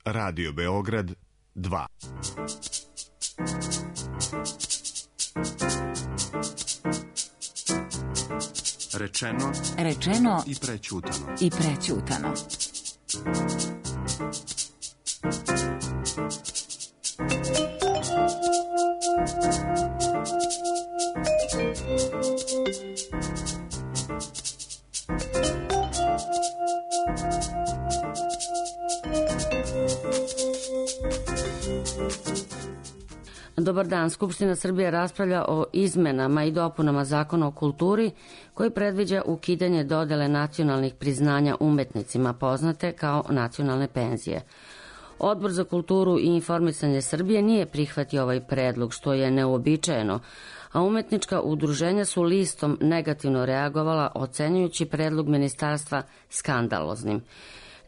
Radio Beograd 2. Rečeno i prećutano. Dobar dan. Skupština Srbije raspravlja o izmenama i dopunama Zakona o kulturi koji predviđa ukidanje dodele nacionalnih priznanja umetnicima poznate kao nacionalne penzije. Odbor za kulturu i informisanje Srbije nije prihvatio ovaj predlog, što je neuobičajeno, a umetnička udruženja su listom negativno reagovala, ocenjujući predlog ministarstva skandaloznim.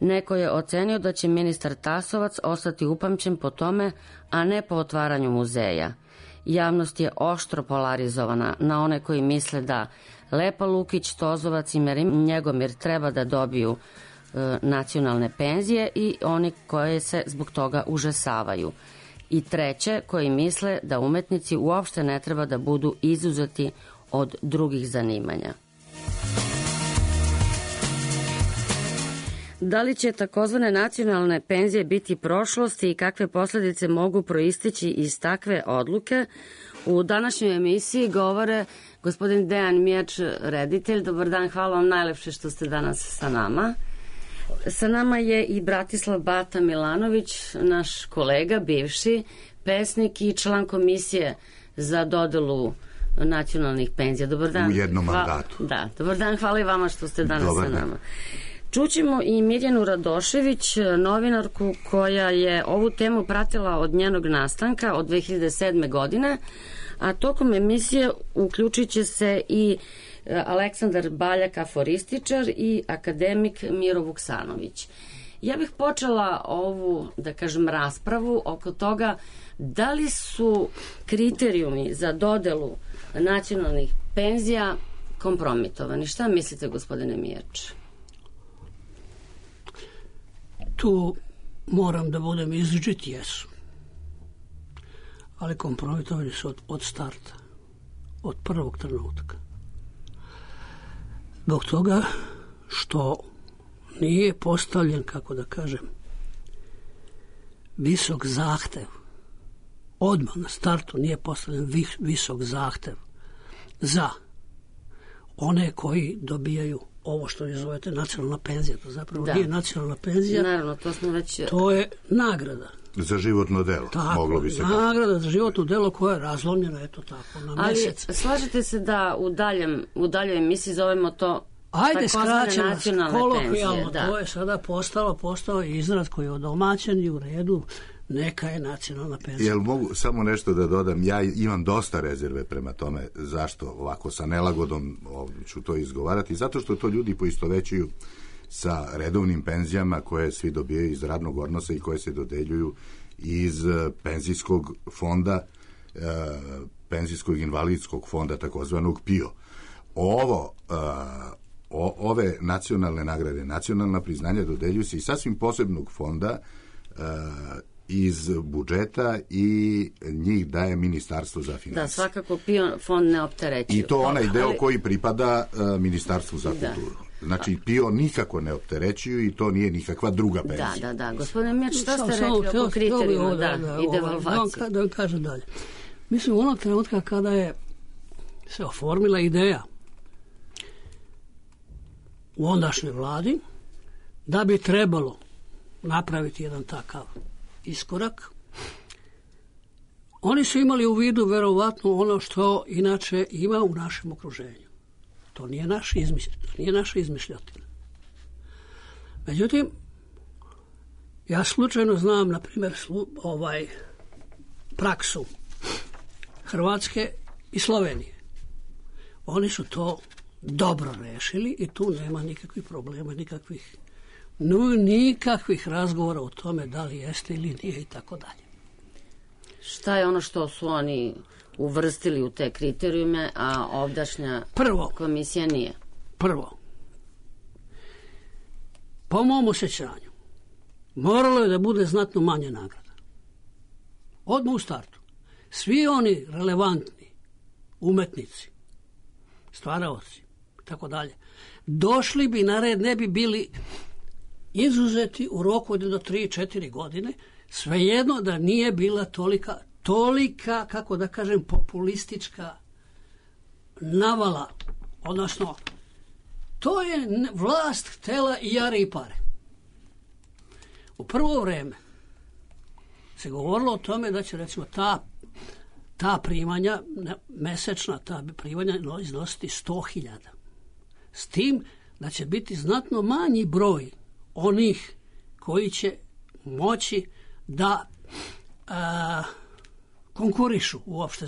Neko je ocenio da će ministar Tasovac ostati upamćen po tome, a ne po otvaranju muzeja. Javnost je oštro polarizovana na one koji misle da Lepa Lukić, Tozovac i Njegomir treba da dobiju nacionalne penzije i oni koje se zbog toga užasavaju. I treće, koji misle da umetnici uopšte ne treba da budu izuzeti od drugih zanimanja. Da li će takozvane nacionalne penzije biti prošlosti i kakve posledice mogu proisteći iz takve odluke? U današnjoj emisiji govore gospodin Dejan Mijač, reditelj. Dobar dan, hvala vam najlepše što ste danas sa nama. Sa nama je i Bratislav Bata Milanović, naš kolega, bivši pesnik i član komisije za dodelu nacionalnih penzija. Dobar dan. U jednom mandatu. Da, dobar dan, hvala i vama što ste danas sa nama. Čućemo i Mirjanu Radošević, novinarku koja je ovu temu pratila od njenog nastanka od 2007. godine, a tokom emisije uključit će se i Aleksandar Baljak, aforističar, i akademik Miro Vuksanović. Ja bih počela ovu, da kažem, raspravu oko toga da li su kriterijumi za dodelu nacionalnih penzija kompromitovani. Šta mislite, gospodine Mijač? Tu moram da budem izričit, jesu. Ali kompromitovani su od starta, od prvog trenutka. Zbog toga što nije postavljen, kako da kažem, visok zahtev. Odmah na startu nije postavljen visok zahtev za one koji dobijaju ovo što vi zovete nacionalna penzija. To zapravo nije nacionalna penzija. Naravno, to smo već... To je nagrada. Za životno delo, moglo bi se... Nagrada za životno delo koja je razlomljena, eto tako, na mesec. Ali slažete se da u daljoj emisiji zovemo to takozvane nacionalne penzije? Da. To je sada postao izraz koji je odomaćen i u redu. Neka je nacionalna penzija. Jel mogu samo nešto da dodam? Ja imam dosta rezerve prema tome zašto ovako sa nelagodom ću to izgovarati. Zato što to ljudi poistovećuju sa redovnim penzijama koje svi dobijaju iz radnog odnosa i koje se dodeljuju iz penzijskog fonda, penzijskog invalidskog fonda, takozvanog PIO. Ove nacionalne nagrade, nacionalna priznanja dodeljuju se iz sasvim posebnog fonda iz budžeta i njih daje Ministarstvo za financije. Da, svakako PIO fond ne opterećuje. I to onaj deo koji pripada Ministarstvu za kulturu. Znači, PIO nikako ne opterećuju i to nije nikakva druga penzija. Da. Gospodine Mijač, šta ste rekli oko kriterijuma i devalvacije? Da vam kažem dalje. Mislim, u onog trenutka kada je se oformila ideja u ondašnjoj vladi da bi trebalo napraviti jedan takav iskorak, oni su imali u vidu verovatno ono što inače ima u našem okruženju. To nije naša izmišljotina. Međutim, ja slučajno znam, na primjer, praksu Hrvatske i Slovenije. Oni su to dobro rešili i tu nema nikakvih problema, nikakvih razgovora o tome da li jeste ili nije i tako dalje. Šta je ono što su oni uvrstili u te kriterijume, a ovdašnja komisija nije? Prvo, po mom osjećanju, moralo je da bude znatno manje nagrada. Odmah u startu. Svi oni relevantni umetnici, stvaraoci i tako dalje, došli bi na red, ne bi bili izuzeti u roku od do 3-4 godine, svejedno da nije bila tolika, kako da kažem, populistička navala, odnosno to je vlast htela i jare i pare. U prvo vreme se govorilo o tome da će, recimo, ta primanja, mesečna ta primanja iznositi 100.000. S tim da će biti znatno manji broj onih koji će moći da konkurišu uopšte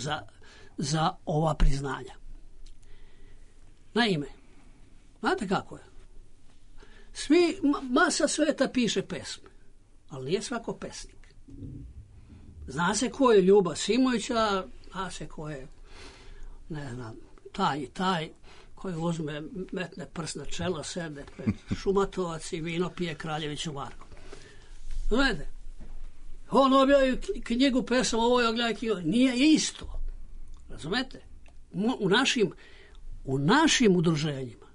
za ova priznanja. Naime, znate kako je? Masa sveta piše pesme, ali nije svako pesnik. Zna se ko je Ljuba Simovića, zna se ko je, ne znam, taj koji uzme, metne prst na čelo, sede pred Šumatovac i vino pije Kraljeviću Marko. Znate, on objavi knjigu pesama, ovo je objavi knjigu, nije isto. Razumete? U našim udruženjima,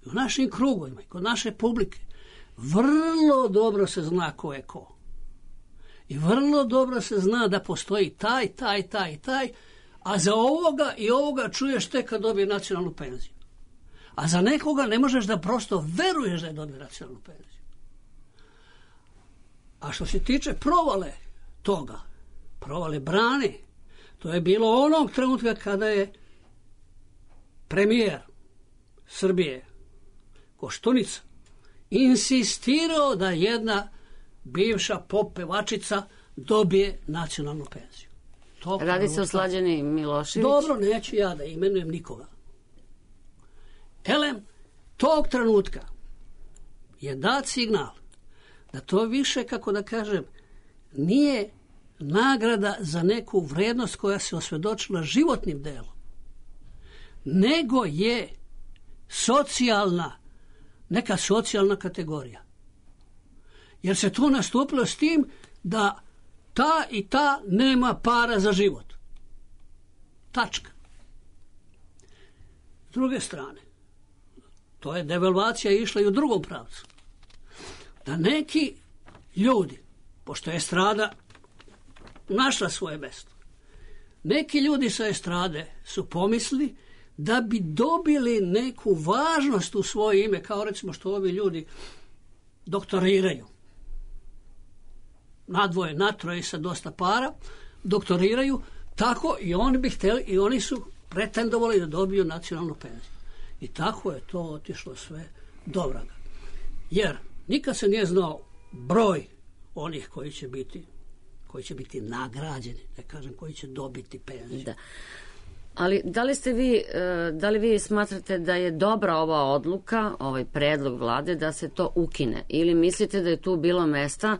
u našim krugovima, kod naše publike, vrlo dobro se zna ko je ko. I vrlo dobro se zna da postoji taj, a za ovoga i ovoga čuješ tek kad dobije nacionalnu penziju. A za nekoga ne možeš da prosto veruješ da je dobio nacionalnu penziju. A što se tiče provale toga, provale brane, to je bilo onog trenutka kada je premijer Srbije Koštunica insistirao da jedna bivša pop pevačica dobije nacionalnu penziju. Radi se o Slađani Milošević. Dobro, neću ja da imenujem nikoga. Elem, tog trenutka je dat signal da to više, kako da kažem, nije nagrada za neku vrednost koja se osvedočila životnim delom, nego je neka socijalna kategorija. Jer se tu nastupilo s tim da ta i ta nema para za život. Tačka. S druge strane, to je devalvacija išla i u drugom pravcu. Da neki ljudi, pošto je estrada našla svoje mesto, neki ljudi sa estrade su pomislili da bi dobili neku važnost u svoje ime, kao recimo što ovi ljudi doktoriraju. Nadvoje, natroje sa dosta para, doktoriraju, tako i oni bi htjeli, i oni su pretendovali da dobiju nacionalnu penziju. I tako je to otišlo sve do vraga. Jer nikad se nije znao broj onih koji će biti nagrađeni, ne kažem koji će dobiti penziju. Da. Ali da li vi smatrate da je dobra ova odluka, ovaj predlog vlade da se to ukine? Ili mislite da je tu bilo mesta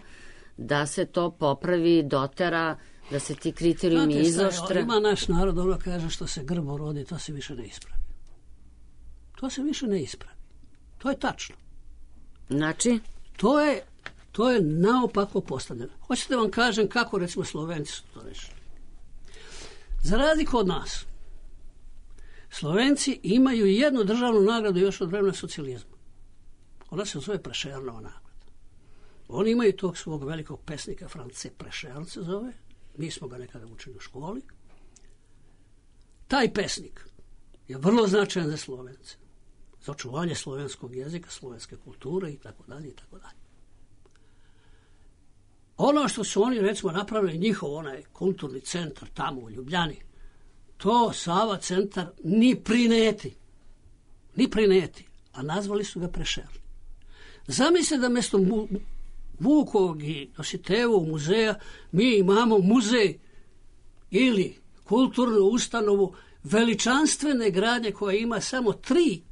da se to popravi, dotera, da se ti kriterijumi izoštre? Ima naš narod, ono kaže, što se grbo rodi, to se više ne ispravi. To se više ne ispravi. To je tačno. Znači? To je naopako postavljeno. Hoćete vam kažem kako, recimo, Slovenci su to rešili. Za razliku od nas, Slovenci imaju jednu državnu nagradu još od vremena socijalizma. Ona se zove Prešernova nagrada. Oni imaju tog svog velikog pesnika, France Prešern se zove. Mi smo ga nekada učili u školi. Taj pesnik je vrlo značajan za Slovence. Za očuvanje slovenskog jezika, slovenske kulture i tako dalje i tako dalje. Ono što su oni, recimo, napravili njihov onaj kulturni centar tamo u Ljubljani, to Sava centar ni prineti, a nazvali su ga Prešern. Zamisli da mjesto Vukovog i Dositejevog muzeja mi imamo muzej ili kulturnu ustanovu veličanstvene gradnje koja ima samo tri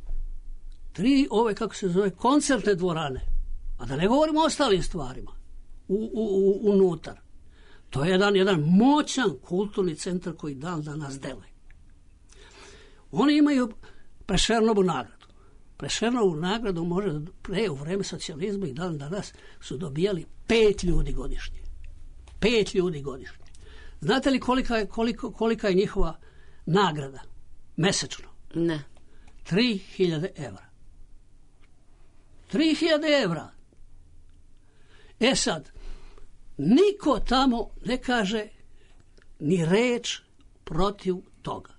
ove, kako se zove, koncertne dvorane, a da ne govorimo o ostalim stvarima unutar. To je jedan moćan kulturni centar koji dan danas deluje. Oni imaju Prešernovu nagradu. Prešernovu nagradu može pre u vreme socijalizma i dan danas su dobijali 5 ljudi godišnje. 5 ljudi godišnje. Znate li kolika je njihova nagrada mesečno? Ne. 3.000 evra. 3.000 evra. E sad, niko tamo ne kaže ni reč protiv toga.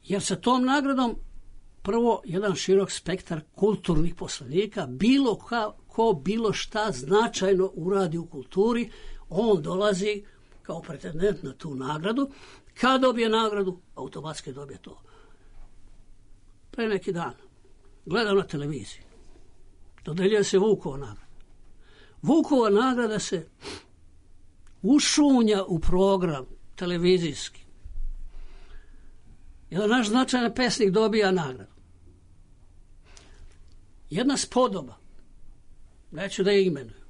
Jer sa tom nagradom prvo jedan širok spektar kulturnih poslanika, bilo ko bilo šta značajno uradi u kulturi, on dolazi kao pretendent na tu nagradu. Kad dobije nagradu, automatski dobije to. Pre neki dan gledam na televiziji, dodeljuje se Vukova nagrada. Vukova nagrada se ušunja u program televizijski. Jedan naš značajan pesnik dobija nagradu. Jedna spodoba, neću da je imenuju,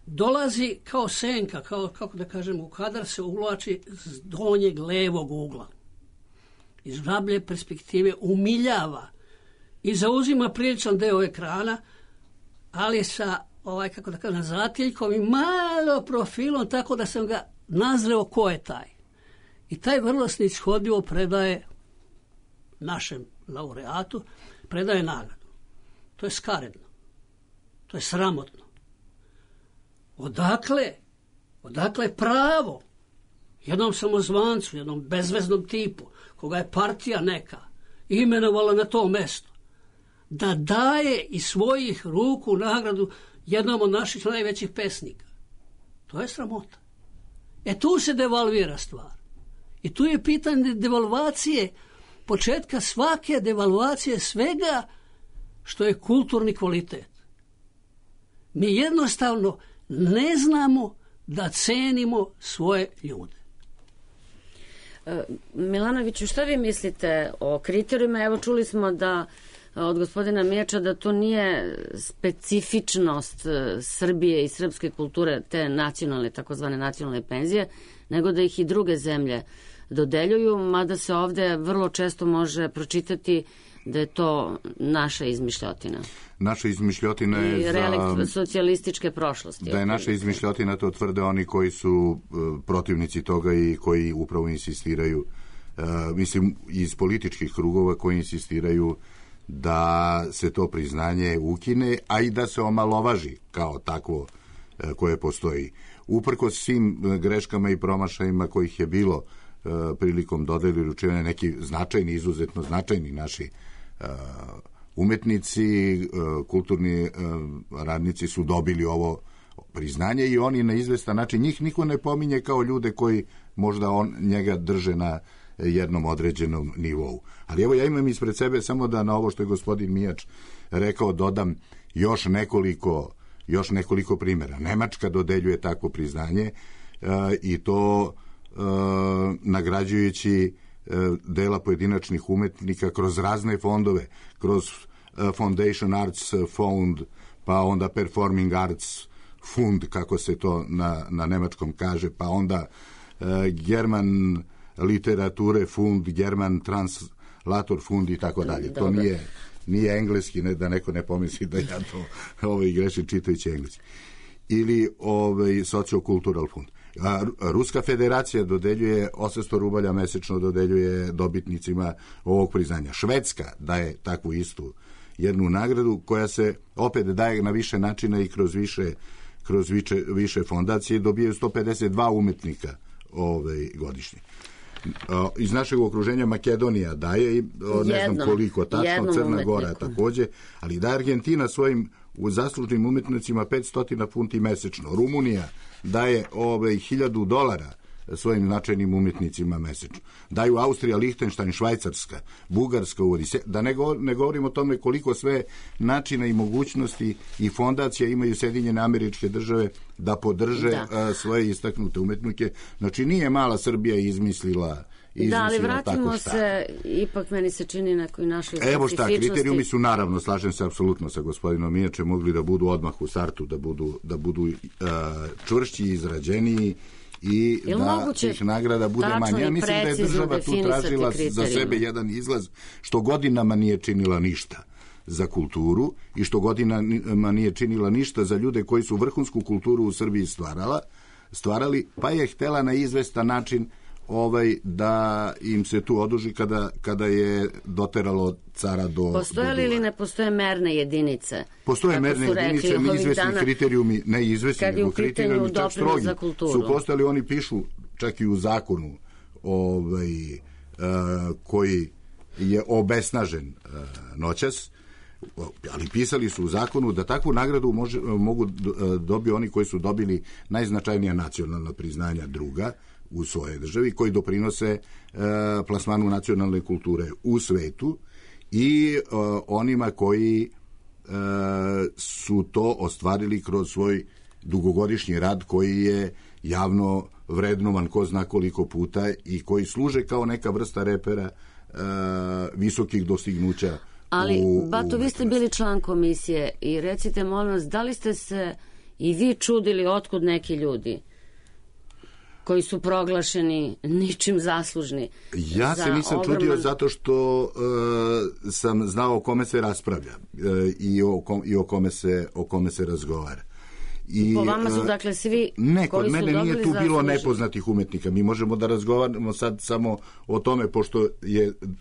dolazi kao senka, kako da kažem, u kadar se uvlači s donjeg levog ugla. Iz žablje perspektive umiljava i zauzima priličan deo ekrana, ali sa, kako da kažem, zatiljkom i malo profilom, tako da sam ga nazreo ko je taj. I taj vrlo snishodljivo predaje našem laureatu, predaje nagradu. To je skaredno. To je sramotno. Odakle pravo jednom samozvancu, jednom bezveznom tipu, koga je partija neka imenovala na to mesto, da daje iz svojih ruku nagradu jednom od naših najvećih pesnika? To je sramota. Tu se devalvira stvar. I tu je pitanje devalvacije, početka svake devalvacije svega što je kulturni kvalitet. Mi jednostavno ne znamo da cenimo svoje ljude. Milanoviću, šta vi mislite o kriterijima? Evo, čuli smo da od gospodina Miječa da to nije specifičnost Srbije i srpske kulture, te nacionalne, takozvane nacionalne penzije, nego da ih i druge zemlje dodeljuju, mada se ovde vrlo često može pročitati da je to naša izmišljotina. Naša izmišljotina je i relikt socijalističke prošlosti. Da je naša izmišljotina, to tvrde oni koji su protivnici toga i koji upravo insistiraju, mislim, iz političkih krugova koji insistiraju da se to priznanje ukine, a i da se omalovaži kao takvo koje postoji. Uprkos svim greškama i promašajima kojih je bilo prilikom dodeli uručivanja, neki značajni, izuzetno značajni naši umetnici, kulturni radnici su dobili ovo priznanje i oni na izvestan način, njih niko ne pominje kao ljude koji možda njega drže na jednom određenom nivou. Ali evo, ja imam ispred sebe samo da na ovo što je gospodin Mijač rekao dodam još nekoliko primjera. Nemačka dodeljuje takvo priznanje i to nagrađujući dela pojedinačnih umetnika kroz razne fondove, kroz Foundation Arts Fund, pa onda Performing Arts Fund, kako se to na nemačkom kaže, pa onda German Literature Fund, German Translator Fund i tako dalje. To nije engleski, da neko ne pomisli da ja to grešim čitajući engleski. Ili Sociokultural Fund. Ruska federacija dodeljuje 800 rubalja mesečno, dodeljuje dobitnicima ovog priznanja. Švedska daje takvu istu jednu nagradu koja se opet daje na više načina i kroz više fondacije, dobijaju 152 umetnika godišnje. Iz našeg okruženja Makedonija daje, ne znam koliko tačno, Crna Gora takođe, ali daje Argentina svojim zaslužnim umetnicima 500 funti mesečno. Rumunija daje $1.000 svojim značajnim umetnicima mesečno. Daju Austrija, Lihtenštajn, Švajcarska, Bugarska uvodi. Da ne govorimo o tome koliko sve načina i mogućnosti i fondacija imaju Sjedinjene Američke Države da podrže svoje istaknute umetnike. Znači, nije mala Srbija izmislila ali vratimo se, ipak meni se čini nekoj našoj specifičnosti. Evo šta, kriterijumi su, naravno, slažem se apsolutno sa gospodinom Mijačem, mogli da budu odmah u startu, da budu čvršći, izrađeniji i da tih nagrada bude manje. Ja mislim da je država tu tražila za sebe jedan izlaz, što godinama nije činila ništa za kulturu i što godinama nije činila ništa za ljude koji su vrhunsku kulturu u Srbiji stvarali, pa je htela na izvestan način da im se tu oduži kada je doteralo cara do... Postoje li ili ne postoje merne jedinice? Postoje merne jedinice, neizvesni kriterijumi, ne izvesni, nego kriterijumi čak strogi. Su postali, oni pišu čak i u zakonu koji je obesnažen noćas, ali pisali su u zakonu da takvu nagradu mogu dobiti oni koji su dobili najznačajnija nacionalna priznanja druga u svojoj državi, koji doprinose plasmanu nacionalne kulture u svetu i onima koji su to ostvarili kroz svoj dugogodišnji rad koji je javno vrednovan ko zna koliko puta i koji služe kao neka vrsta repera visokih dostignuća. Ali, Bato, vi ste bili član komisije i recite, molim vas, da li ste se i vi čudili otkud neki ljudi koji su proglašeni ničim zaslužni? Ja se nisam čudio zato što sam znao o kome se raspravlja i o kome se razgovara. Po vama su dakle svi kod mene nije tu bilo nepoznatih umetnika. Mi možemo da razgovaramo sad samo o tome,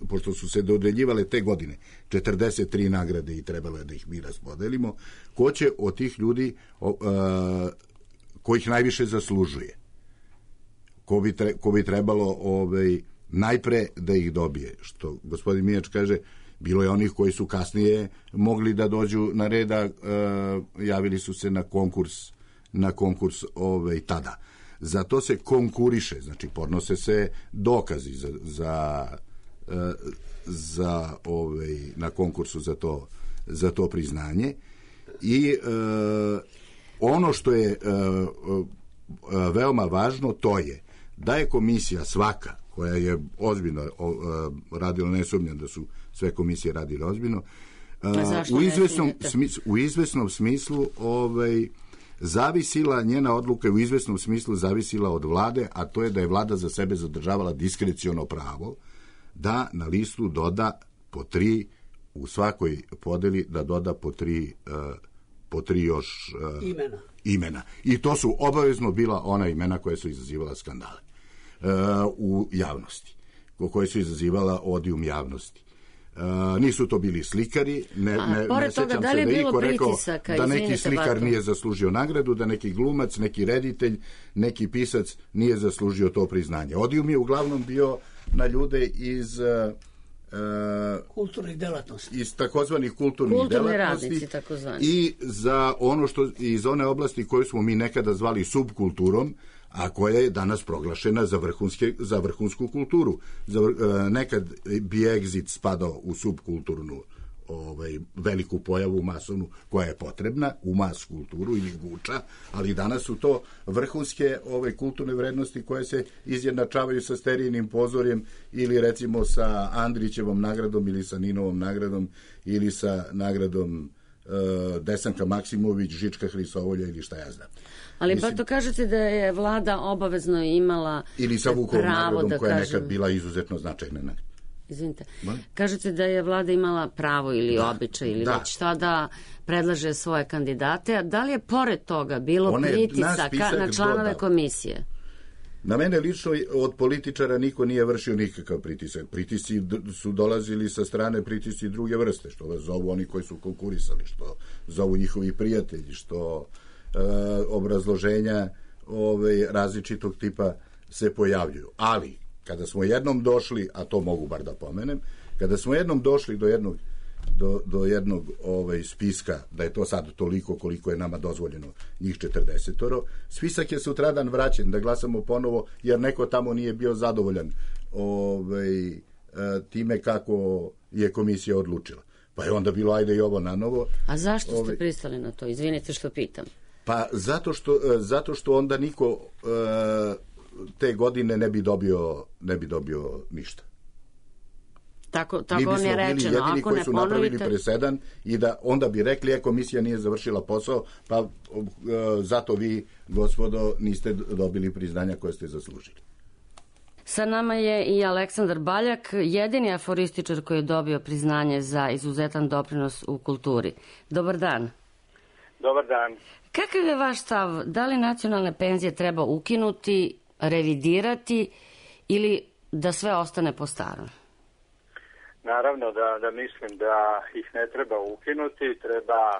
pošto su se dodeljivale te godine 43 nagrade i trebalo je da ih mi raspodelimo, ko će od tih ljudi kojih najviše zaslužuje, ko bi trebalo najpre da ih dobije. Što gospodin Mijač kaže, bilo je onih koji su kasnije mogli da dođu na red, javili su se na konkurs tada. Zato se konkuriše, znači podnose se dokazi na konkursu za to priznanje i ono što je veoma važno, to je da je komisija svaka koja je ozbiljno radila, ne sumnjam da su sve komisije radile ozbiljno, u izvesnom smislu zavisila, njena odluka u izvesnom smislu zavisila od vlade, a to je da je vlada za sebe zadržavala diskreciono pravo da na listu doda po 3, u svakoj podeli da doda po 3 još imena. I to su obavezno bila ona imena koja su izazivala skandale u javnosti, koje su izazivala odijum javnosti. Nisu to bili slikari, ne sećam se da je iko rekao da neki slikar nije zaslužio nagradu, da neki glumac, neki reditelj, neki pisac nije zaslužio to priznanje. Odijum je uglavnom bio na ljude iz kulturnih delatnosti. Iz takozvanih kulturnih delatnosti radnici, takozvani. I za ono što iz one oblasti koju smo mi nekada zvali subkulturom, a koja je danas proglašena za vrhunsku kulturu. Nekad bi Exit spadao u subkulturnu veliku pojavu masovnu koja je potrebna u mas kulturu ili guča, ali danas su to vrhunske kulturne vrednosti koje se izjednačavaju sa Sterijinim pozorjem ili recimo sa Andrićevom nagradom ili sa Ninovom nagradom ili sa nagradom Desanka Maksimović, Žička Hrisovolja ili šta ja znam. Ali pa to kažete da je vlada obavezno imala ili sa Vukovom nagradom koja je nekad bila izuzetno značajna nagrada. Izvinite. Kažete da je vlada imala pravo ili običaj ili već šta da predlaže svoje kandidate, a da li je pored toga bilo pritisaka na članove komisije? Na mene lično od političara niko nije vršio nikakav pritisak. Pritisci su dolazili sa strane pritisci druge vrste, što vas zovu oni koji su konkurisali, što zovu njihovi prijatelji, što obrazloženja različitog tipa se pojavljuju. Ali, kada smo jednom došli, a to mogu bar da pomenem, kada smo jednom došli do jednog spiska, da je to sad toliko koliko je nama dozvoljeno, njih 40, spisak je sutradan vraćen da glasamo ponovo, jer neko tamo nije bio zadovoljan time kako je komisija odlučila. Pa je onda bilo ajde i ovo na novo. A zašto ste pristali na to? Izvinite što pitam. Pa zato što onda niko te godine ne bi dobio ništa. Tako Mi vam je bismo bili rečeno. jedini Ako koji ne su napravili ponovite... presedan i da onda bi rekli, komisija nije završila posao, pa zato vi, gospodo, niste dobili priznanja koje ste zaslužili. Sa nama je i Aleksandar Baljak, jedini aforističar koji je dobio priznanje za izuzetan doprinos u kulturi. Dobar dan. Dobar dan. Kakav je vaš stav? Da li nacionalne penzije treba ukinuti, revidirati ili da sve ostane po starom? Naravno da mislim da ih ne treba ukinuti, treba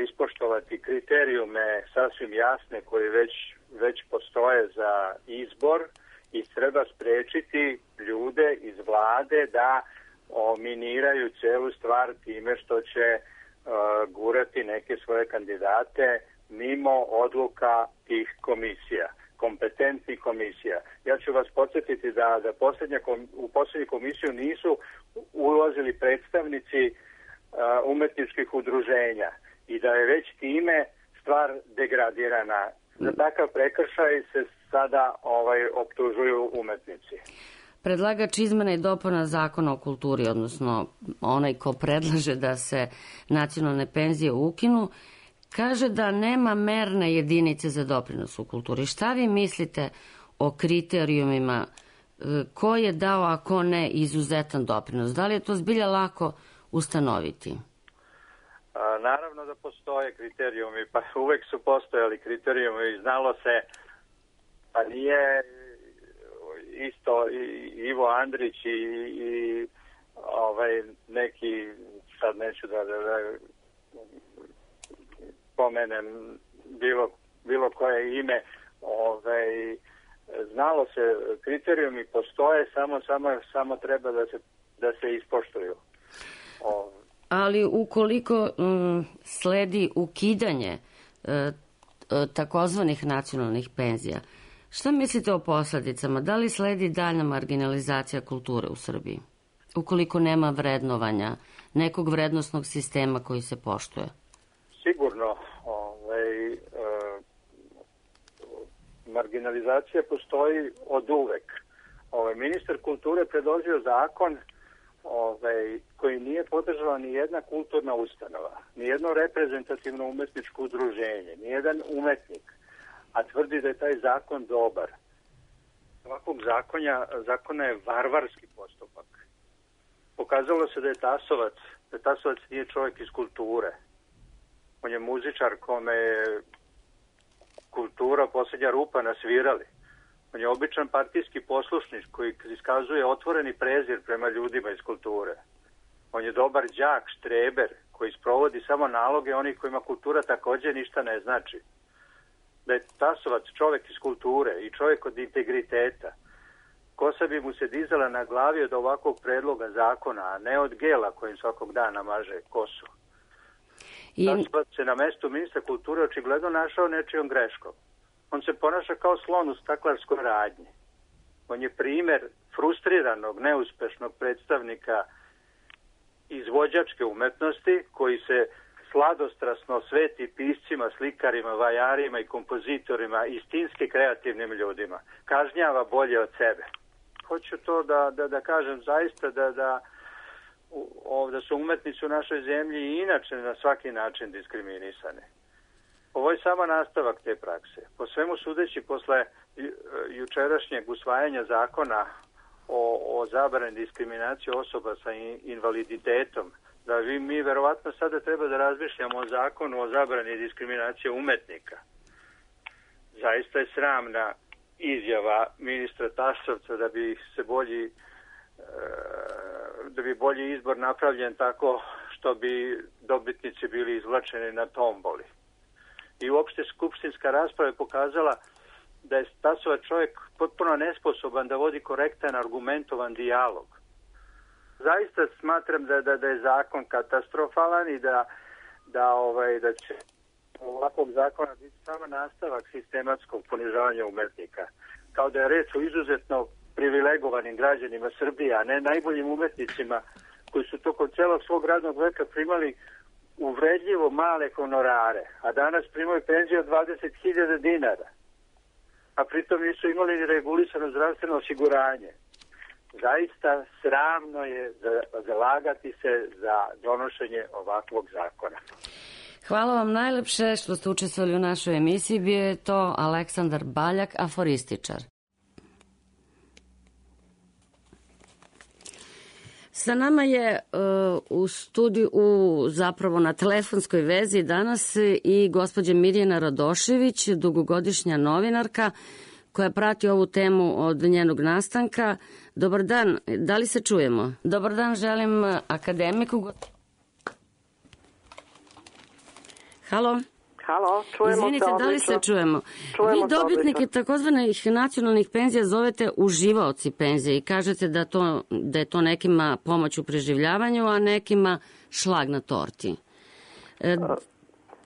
ispoštovati kriterijume sasvim jasne koji već postoje za izbor i treba sprečiti ljude iz vlade da miniraju celu stvar time što će gurati neke svoje kandidate mimo odluka tih komisija, kompetentnih komisija. Ja ću vas podsjetiti da u posljednju komisiju nisu ulazili predstavnici umetničkih udruženja i da je već time stvar degradirana. Za takav prekršaj se sada optužuju umetnici. Predlagač izmena i dopuna zakona o kulturi, odnosno onaj ko predlaže da se nacionalne penzije ukinu, kaže da nema merne jedinice za doprinos u kulturi. Šta vi mislite o kriterijumima ko je dao, a ko ne, izuzetan doprinos? Da li je to zbilja lako ustanoviti? Naravno da postoje kriterijumi, pa uvek su postojali kriterijumi i znalo se, pa nije isto Ivo Andrić i neki, sad neću da pomenem bilo koje ime, znalo se, kriterijumi postoje, samo treba da se ispoštuju. Ali ukoliko sledi ukidanje takozvanih nacionalnih penzija, šta mislite o posledicama? Da li sledi daljna marginalizacija kulture u Srbiji? Ukoliko nema vrednovanja, nekog vrednosnog sistema koji se poštuje? Sigurno. Marginalizacija postoji od uvek. Ministar kulture predložio zakon koji nije podržala ni jedna kulturna ustanova, ni jedno reprezentativno umetničko udruženje, ni jedan umetnik, a tvrdi da je taj zakon dobar. Ovakvog zakona je varvarski postupak. Pokazalo se da je Tasovac nije čovjek iz kulture. On je muzičar kome je kultura posljednja rupa na svirali. On je običan partijski poslušnik koji iskazuje otvoreni prezir prema ljudima iz kulture. On je dobar đak, štreber, koji sprovodi samo naloge onih kojima kultura također ništa ne znači. Da je Tasovac čovjek iz kulture i čovjek od integriteta, kosa bi mu se dizala na glavi od ovakvog predloga zakona, a ne od gela kojim svakog dana maže kosu. Tasovac se na mestu ministra kulture očigledno našao nečijom greškom. On se ponaša kao slon u staklarskoj radnji. On je primjer frustriranog, neuspešnog predstavnika izvođačke umetnosti koji se sladostrasno sveti piscima, slikarima, vajarima i kompozitorima, istinski kreativnim ljudima. Kažnjava bolje od sebe. Hoću to da kažem zaista da su umetnici u našoj zemlji i inače na svaki način diskriminisane. Ovo je samo nastavak te prakse. Po svemu sudeći, posle jučerašnjeg usvajanja zakona o zabrani diskriminacije osoba sa invaliditetom, da mi verovatno sada treba da razmišljamo o zakonu o zabrani diskriminacije umetnika. Zaista je sramna izjava ministra Tasovca da bi bolji izbor napravljen tako što bi dobitnici bili izvlačeni na tomboli. I uopšte skupštinska rasprava je pokazala da je Tasovac čovjek potpuno nesposoban da vodi korektan, argumentovan dijalog. Zaista smatram da je zakon katastrofalan i da će ovakvog zakona biti samo nastavak sistematskog ponižavanja umetnika. Kao da je reč o izuzetno privilegovanim građanima Srbije, a ne najboljim umetnicima koji su tokom celog svog radnog veka primali uvredljivo male honorare, a danas primaju penziju od 20.000 dinara, a pritom nisu imali ni regulisano zdravstveno osiguranje. zaista sramno je zalagati se za donošenje ovakvog zakona. Hvala vam najlepše što ste učestvovali u našoj emisiji. Bio je to Aleksandar Baljak, aforističar. Sa nama je u studiju, zapravo na telefonskoj vezi danas i gospođa Mirjana Radošević, dugogodišnja novinarka koja prati ovu temu od njenog nastanka. Dobar dan, da li se čujemo? Dobar dan, želim akademiku. Halo? Halo, čujemo. Izvinite, da li se čujemo? Vi dobitnike takozvanih nacionalnih penzija zovete uživaoci penzije i kažete da je to nekima pomoć u preživljavanju, a nekima šlag na torti.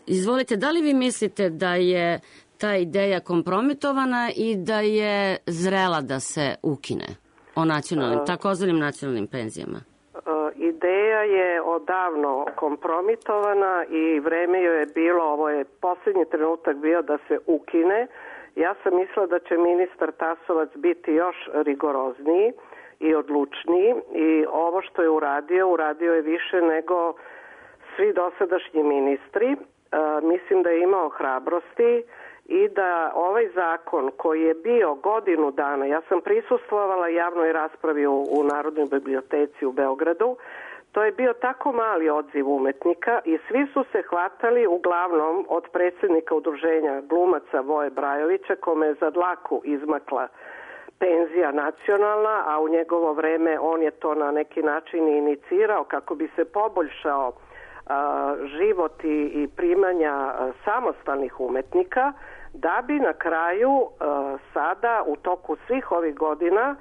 Izvolite, da li vi mislite da je ta ideja kompromitovana i da je zrela da se ukine o takozvanim nacionalnim penzijama? Ideja je odavno kompromitovana i vreme joj je bilo, ovo je posljednji trenutak bio da se ukine. Ja sam mislila da će ministar Tasovac biti još rigorozniji i odlučniji i ovo što je uradio je više nego svi dosadašnji ministri. Mislim da je imao hrabrosti i da ovaj zakon koji je bio godinu dana, ja sam prisustvovala javnoj raspravi u Narodnoj biblioteci u Beogradu, to je bio tako mali odziv umetnika i svi su se hvatali uglavnom od predsjednika udruženja glumaca Voje Brajovića, kome je za dlaku izmakla penzija nacionalna, a u njegovo vreme on je to na neki način inicirao kako bi se poboljšao život i primanja samostalnih umetnika, da bi na kraju sada u toku svih ovih godina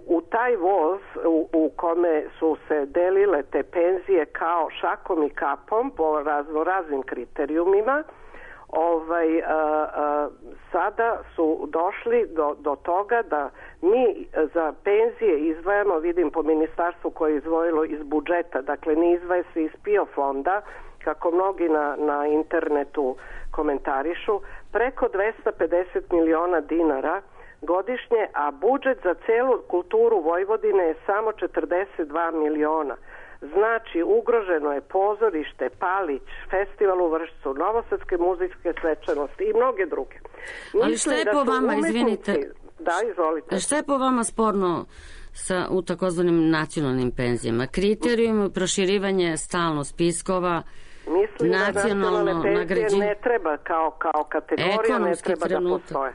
u taj voz u kome su se delile te penzije kao šakom i kapom po raznim kriterijumima, sada su došli do toga da mi za penzije izdvajamo, vidim po ministarstvu koje je izdvojilo iz budžeta, dakle ne izdvaja se iz PIO fonda, kako mnogi na internetu komentarišu, preko 250 miliona dinara godišnje, a budžet za celu kulturu Vojvodine je samo 42 miliona. Znači, ugroženo je pozorište, Palić, festival u Vršcu, novosadske muzičke svečanosti i mnoge druge. Ali šta je po vama, izvinite? Da, izvolite. Šta je po vama sporno u takozvanim nacionalnim penzijama? Kriterijum, proširivanje stalno spiskova, mislim da nacionalne penzije ne treba kao kategorija, ne treba da postoje.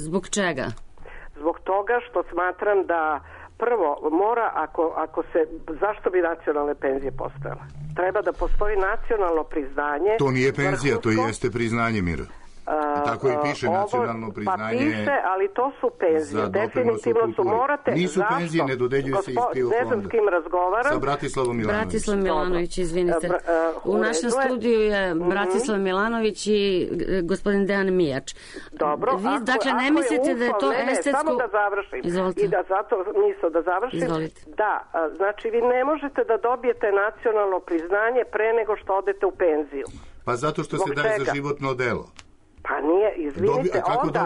Zbog čega? Zbog toga što smatram da prvo mora, ako se, zašto bi nacionalne penzije postojale? Treba da postoji nacionalno priznanje. To nije penzija, to jeste priznanje, Mira. Tako i piše nacionalno priznanje. Pa piše, ali to su penzije. Definitivno su, morate. Nisu penzije, ne dodeljuju se iz PIO fonda. Ne znam s kim razgovaram. Sa Bratislavom Milanović. Bratislav Milanović, izvinite. U našem studiju je Bratislav Milanović i gospodin Dejan Mijač. Dobro. Dakle, ne mislite da je to estetsko... Samo da završim. Izvolite. I da zato misle da završim. Izvolite. Da, znači vi ne možete da dobijete nacionalno priznanje pre nego što odete u penziju. Pa zato što se daje za životno delo. Pa nije, izvinite, onda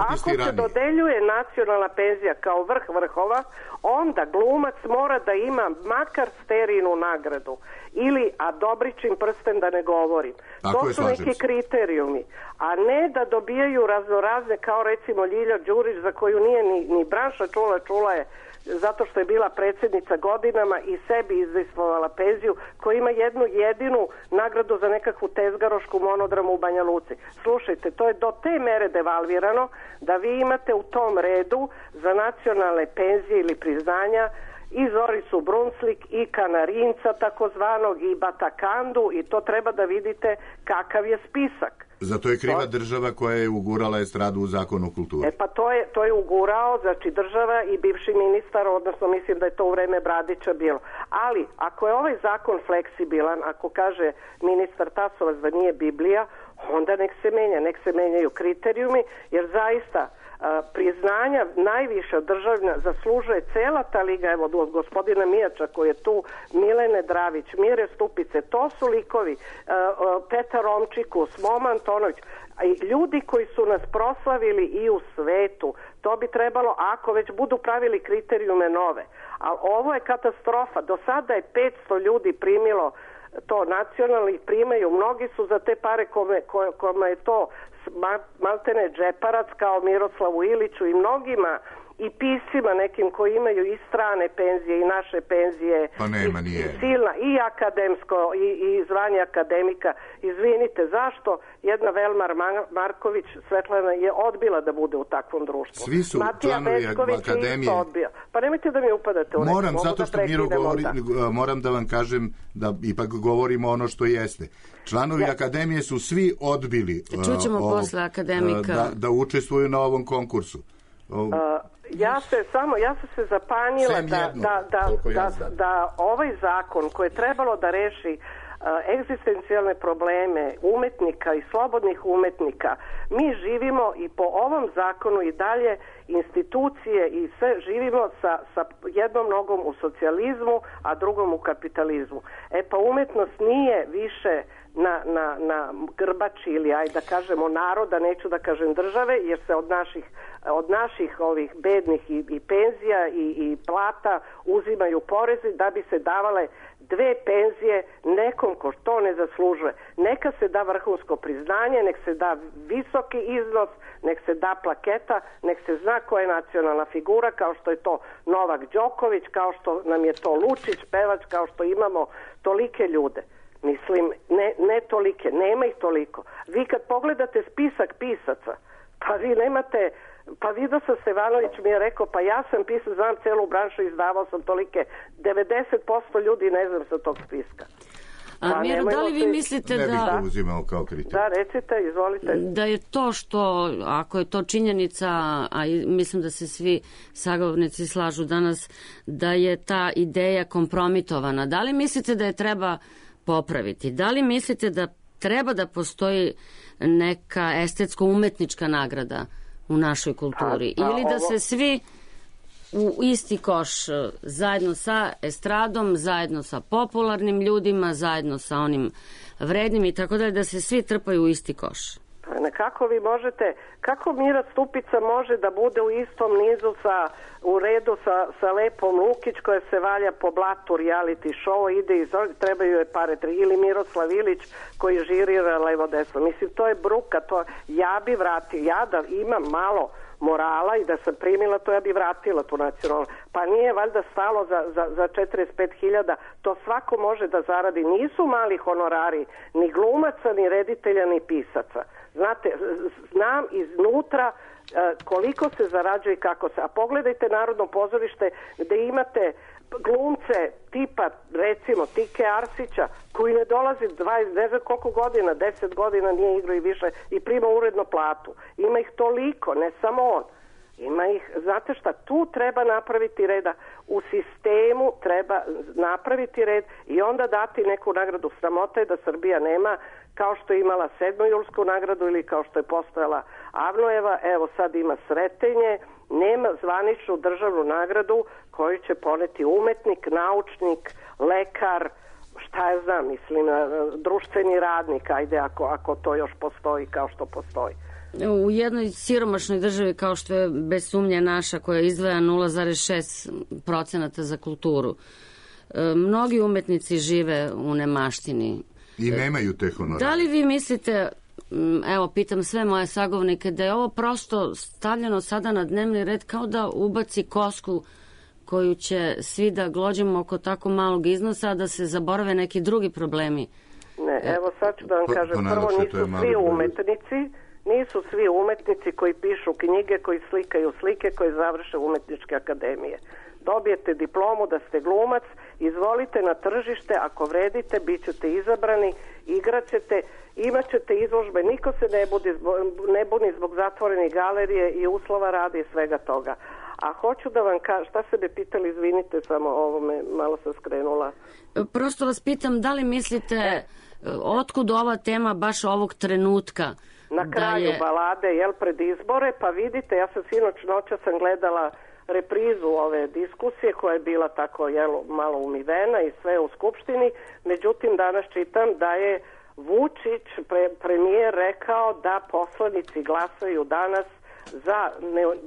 ako se dodeljuje nacionalna penzija kao vrh vrhova, onda glumac mora da ima makar sterinu nagradu ili, a Dobričin prsten da ne govorim. To su neki kriterijumi, a ne da dobijaju raznorazne kao recimo Ljilja Đurić za koju nije ni branša čula je zato što je bila predsjednica godinama i sebi izvestvovala penziju, koja ima jednu jedinu nagradu za nekakvu tezgarošku monodramu u Banja Luci. Slušajte, to je do te mere devalvirano da vi imate u tom redu za nacionalne penzije ili priznanja i Zoricu Brunslik i Kanarinca takozvanog i Batakandu i to treba da vidite kakav je spisak. Zato je kriva država koja je ugurala estradu u Zakon o kulturi. Pa to je ugurao, znači država i bivši ministar, odnosno mislim da je to u vreme Bradića bilo. Ali, ako je ovaj zakon fleksibilan, ako kaže ministar Tasovac da nije Biblija, onda nek se menjaju kriterijumi, jer zaista priznanja najviša državna zaslužuje cela ta liga, evo od gospodina Mijača koji je tu, Milene Dravić, Mire Stupice, to su likovi, Petar Romčikus, Momo Antonović, ljudi koji su nas proslavili i u svetu. To bi trebalo, ako već budu pravili kriterijume nove. Ali ovo je katastrofa. Do sada je 500 ljudi primilo to, nacionalnih primaju. Mnogi su za te pare kome je to maltene džeparac, kao Miroslavu Iliću i mnogima, i pisima nekim koji imaju i strane penzije i naše penzije, pa nema, nije. I silna, i akademsko i zvanje akademika. Izvinite, zašto jedna Velmar Marković Svetlana je odbila da bude u takvom društvu? Svi su Matija članovi akademije. Odbio. Pa nemojte da mi upadate u reč. Moram, zato što Miro govori, moram da vam kažem da ipak govorimo ono što jeste. Članovi akademije su svi odbili posle akademika da učestvuju na ovom konkursu. Ja sam se zapanjila da ovaj zakon koji je trebalo da reši egzistencijalne probleme umetnika i slobodnih umetnika, mi živimo i po ovom zakonu i dalje institucije i sve živimo sa jednom nogom u socijalizmu, a drugom u kapitalizmu. Pa umetnost nije više na grbači ili ajde da kažemo naroda, neću da kažem države, jer se od naših ovih bednih i penzija i plata uzimaju porezi da bi se davale 2 penzije nekom ko to ne zaslužuje. Neka se da vrhunsko priznanje, nek se da visoki iznos, nek se da plaketa, nek se zna koja je nacionalna figura, kao što je to Novak Đoković, kao što nam je to Lučić, pevač, kao što imamo tolike ljude. Mislim, ne tolike, nema ih toliko. Vi kad pogledate spisak pisaca, pa vi nemate, pa vidio sam Stevanović mi je rekao, pa ja sam pisac, znam celu branšu, izdavao sam tolike, 90% ljudi ne znam sa tog spiska. Miro, da li vi mislite da... Da, recite, izvolite. Da je to što, ako je to činjenica, a mislim da se svi sagovornici slažu danas, da je ta ideja kompromitovana, da li mislite da je treba popraviti? Da li mislite da treba da postoji neka estetsko-umetnička nagrada u našoj kulturi? Ili da se svi u isti koš, zajedno sa estradom, zajedno sa popularnim ljudima, zajedno sa onim vrednim i tako dalje, da se svi trpaju u isti koš? Kako vi možete, kako Mira Stupica može da bude u istom nizu u redu sa Lepom Lukić koja se valja po blatu reality show, ide iz trebaju je pare, ili Miroslav Ilić koji žirira levo desno. Mislim, to je bruka, ja bi vratila, ja da imam malo morala i da sam primila to, ja bi vratila tu nacionalnu. Pa nije valjda stalo za 45.000, to svako može da zaradi. Nisu mali honorari ni glumaca, ni reditelja, ni pisaca. Znate, znam iznutra koliko se zarađuje i kako se. A pogledajte Narodno pozorište gde imate glumce tipa, recimo, Tike Arsića, koji ne dolazi 20, ne znam koliko godina, 10 godina nije igrao i više i prima uredno platu. Ima ih toliko, ne samo on. Ima ih, znate šta, tu treba napraviti reda, u sistemu treba napraviti red i onda dati neku nagradu. Sramota je da Srbija nema, kao što je imala 7. julsku nagradu ili kao što je postojala Avnojeva, evo sad ima Sretenje, nema zvaničnu državnu nagradu koju će poneti umetnik, naučnik, lekar, šta ja znam, mislim, društveni radnik, ajde ako to još postoji kao što postoji. U jednoj siromašnoj državi kao što je bez sumnje naša, koja izdvaja 0,6% za kulturu, mnogi umetnici žive u nemaštini. I nemaju te honorare. Da li vi mislite, evo pitam sve moje sagovornike, da je ovo prosto stavljeno sada na dnevni red kao da ubaci kosku koju će svi da glođemo oko tako malog iznosa, a da se zaborave neki drugi problemi? Ne, evo sad ću da vam kažem, prvo nisu svi umetnici koji pišu knjige, koji slikaju slike, koji završe umetničke akademije. Dobijete diplomu da ste glumac, izvolite na tržište, ako vredite, bit ćete izabrani, igraćete, imat ćete izložbe, niko se ne buni zbog zatvorenih galerije i uslova rada i svega toga. A hoću da vam kažem, šta se me pitali, izvinite, samo ovo me malo sam skrenula. Prosto vas pitam, da li mislite Otkud ova tema baš ovog trenutka? Na kraju balade, pred izbore, pa vidite, ja sam noća sam gledala reprizu ove diskusije koja je bila tako malo umivena i sve u Skupštini, međutim danas čitam da je Vučić, premijer, rekao da poslanici glasaju danas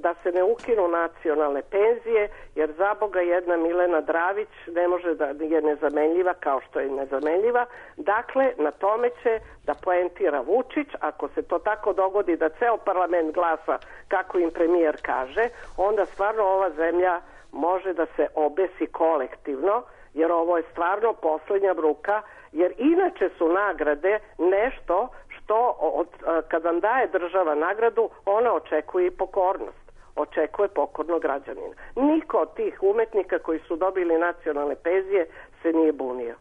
da se ne ukinu nacionalne penzije, jer za Boga jedna Milena Dravić ne može da je nezamenljiva kao što je nezamenljiva. Dakle, na tome će da poentira Vučić. Ako se to tako dogodi da ceo parlament glasa kako im premijer kaže, onda stvarno ova zemlja može da se obesi kolektivno, jer ovo je stvarno poslednja bruka, jer inače su nagrade nešto što kad vam daje država nagradu, ona očekuje i pokornost. Očekuje pokornog građanina. Niko od tih umetnika koji su dobili nacionalne penzije se nije bunio.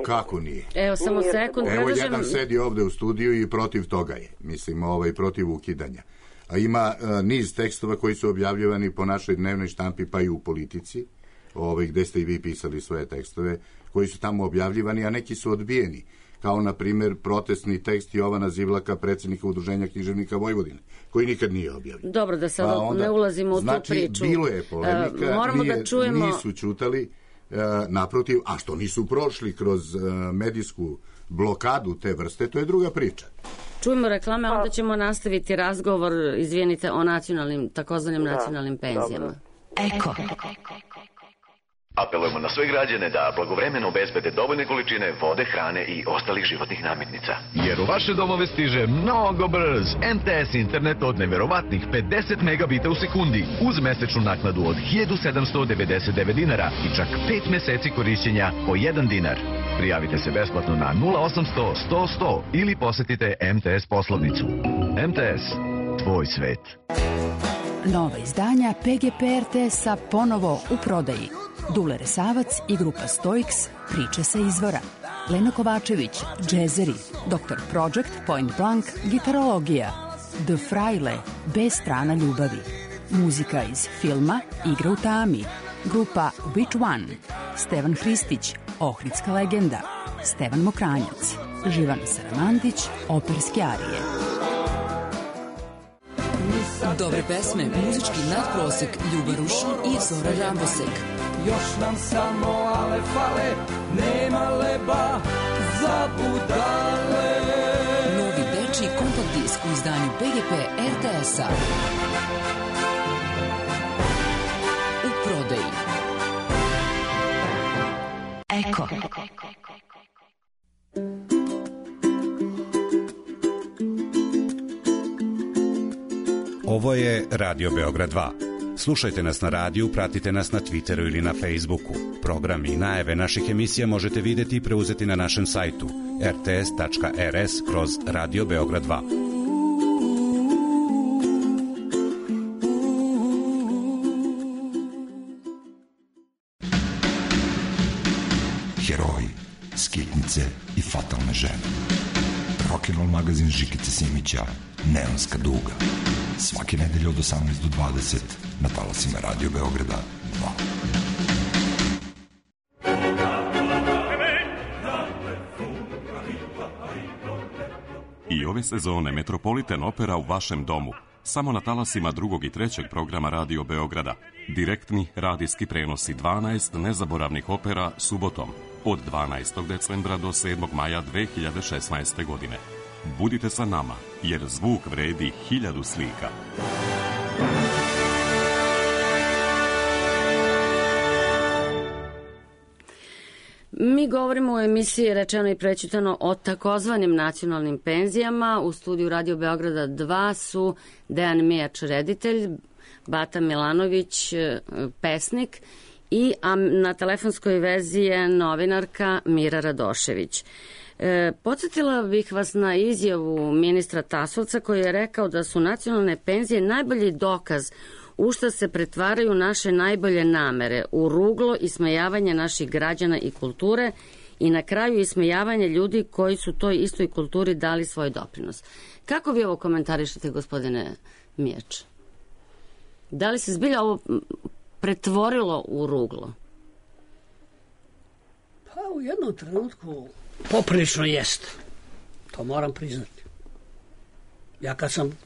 Kako nije? Evo, samo sekund. Evo, jedan sedi ovde u studiju i protiv toga je. Mislim, protiv ukidanja. A ima niz tekstova koji su objavljivani po našoj dnevnoj štampi, pa i u Politici, gde ste i vi pisali svoje tekstove, koji su tamo objavljivani, a neki su odbijeni. Kao, na primjer, protestni tekst Jovana Zivlaka, predsjednika Udruženja književnika Vojvodine, koji nikad nije objavljen. Dobro, da sad ne ulazimo u tu priču. Znači, bilo je polemika, nisu ćutali, naprotiv, a što nisu prošli kroz medijsku blokadu te vrste, to je druga priča. Čujemo reklame, onda ćemo nastaviti razgovor, izvinite, o takozvanim nacionalnim penzijama. Eko. Apelujemo na sve građane da blagovremeno obezbede dovoljne količine vode, hrane i ostalih životnih namirnica. Jer u vaše domove stiže mnogo brz MTS internet od neverovatnih 50 megabita u sekundi uz mesečnu naknadu od 1799 dinara i čak 5 meseci korišćenja po 1 dinar. Prijavite se besplatno na 0800 100 100 ili posetite MTS poslovnicu. MTS, tvoj svet. Nova izdanja PGP RTS-a ponovo u prodaji. Dule Resavac i grupa Stoiks, priče sa izvora. Lena Kovačević, džezeri. Dr. Project, Point Blank, gitarologija. The Fraile, B strana ljubavi. Muzika iz filma Igra u tami. Grupa Which One. Stevan Hristić, Ohridska legenda. Stevan Mokranjac. Živana Saramandić, operske arije. Dobre pesme, muzički nadprosek, Ljuba Rušin i Zora Rambosek. Još nam samo ale fale, nema leba za budale. Novi dečiji kompakt disk u izdanju PGP RTS-a. U prodaji. Eko. Ovo je Radio Beograd 2. Slušajte nas na radiju, pratite nas na Twitteru ili na Facebooku. Programi i najave naših emisija možete vidjeti i preuzeti na našem sajtu rts.rs/Radio Beograd 2. Heroji, skitnice i fatalne žene. Rock'n'roll magazin Žikice Simića, Neonska duga. Svake nedelje od 18 do 20 na talasima Radio Beograda 2. I ove sezone Metropolitan Opera u vašem domu. Samo na talasima drugog i trećeg programa Radio Beograda. Direktni radijski prenosi 12 nezaboravnih opera subotom od 12. decembra do 7. maja 2016. godine. Budite sa nama, jer zvuk vredi 1000 slika. Mi govorimo u emisiji Rečeno i prećutano o takozvanim nacionalnim penzijama. U studiju Radio Beograda 2 su Dejan Mijač, reditelj, Bata Milanović, pesnik, i na telefonskoj vezi je novinarka Mira Radošević. Podsjetila bih vas na izjavu ministra Tasovca koji je rekao da su nacionalne penzije najbolji dokaz u šta se pretvaraju naše najbolje namere, u ruglo ismejavanje naših građana i kulture i na kraju ismejavanje ljudi koji su toj istoj kulturi dali svoj doprinos. Kako vi ovo komentarišete, gospodine Mijač? Da li se zbilja ovo pretvorilo u ruglo? Pa u jednom trenutku Poprilično jeste. To moram priznati. Ja kad sam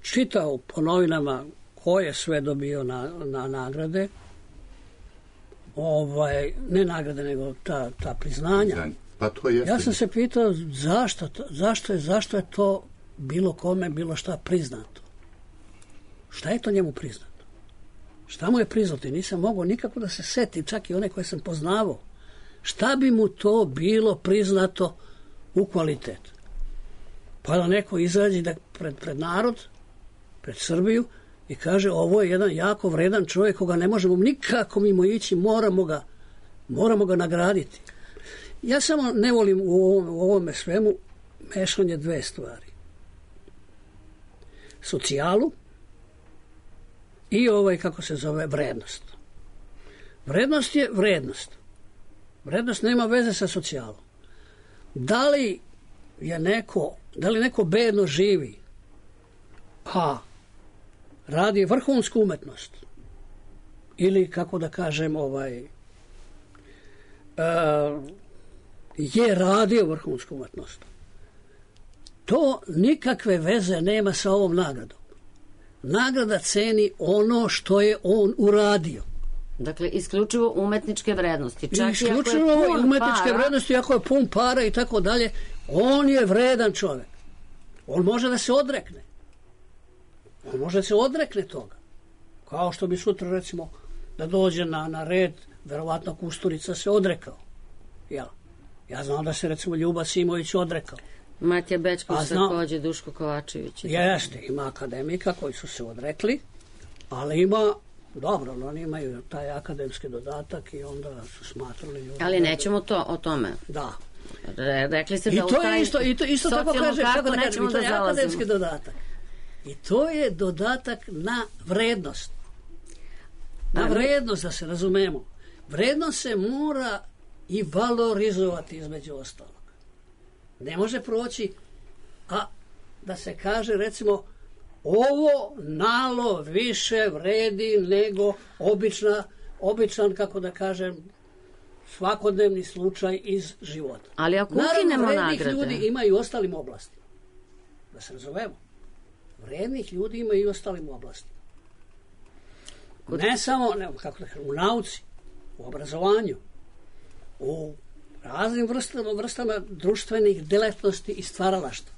čitao po novinama ko je sve dobio na nagrade, ne nagrade, nego ta priznanja. Pa to jeste. Ja sam se pitao zašto je to bilo kome, bilo šta priznato. Šta je to njemu priznato? Šta mu je priznato? Nisam mogao nikako da se setim, čak i one koje sam poznavao. Šta bi mu to bilo priznato u kvalitetu? Pa da neko izađe pred narod, pred Srbiju i kaže ovo je jedan jako vredan čovjek koga ne možemo nikako mimo ići, moramo ga nagraditi. Ja samo ne volim u ovome svemu mešanje dve stvari. Socijalu i kako se zove, vrednost. Vrednost je vrednost. Vrednost nema veze sa socijalom. Da li neko bedno živi, a radi vrhunsku umetnost, ili kako da kažem, je radio vrhunsku umetnost, to nikakve veze nema sa ovom nagradom. Nagrada ceni ono što je on uradio. Dakle, isključivo umetničke vrednosti. Isključivo umetničke vrednosti, ako je pun para i tako dalje, on je vredan čovjek. On može da se odrekne. On može da se odrekne toga. Kao što bi sutra, recimo, da dođe na red, verovatno Kusturica se odrekao. Ja znam da se, recimo, Ljuba Simović odrekao. Matija Bećković takođe, Duško Kovačević. Jeste, ima akademika koji su se odrekli, ali ima, dobro, oni imaju taj akademski dodatak i onda su smatrali ljudi. Ali nećemo o tome. Da. Rekli ste da u taj isto tako kaže, kako da kažem, i to je akademski dodatak. I to je dodatak na vrednost. Na vrednost, da se razumemo. Vrednost se mora i valorizovati između ostalog. Ne može proći, a da se kaže, recimo, ovo nalo više vredi nego običan, kako da kažem, svakodnevni slučaj iz života. Ali ako ukinemo nagrade... Naravno, vrednih ljudi ima i u ostalim oblastima. Da se razumemo. Vrednih ljudi ima i u ostalim oblastima. Ne samo, kako da kažem, u nauci, u obrazovanju, u raznim vrstama društvenih delatnosti i stvaralaštva.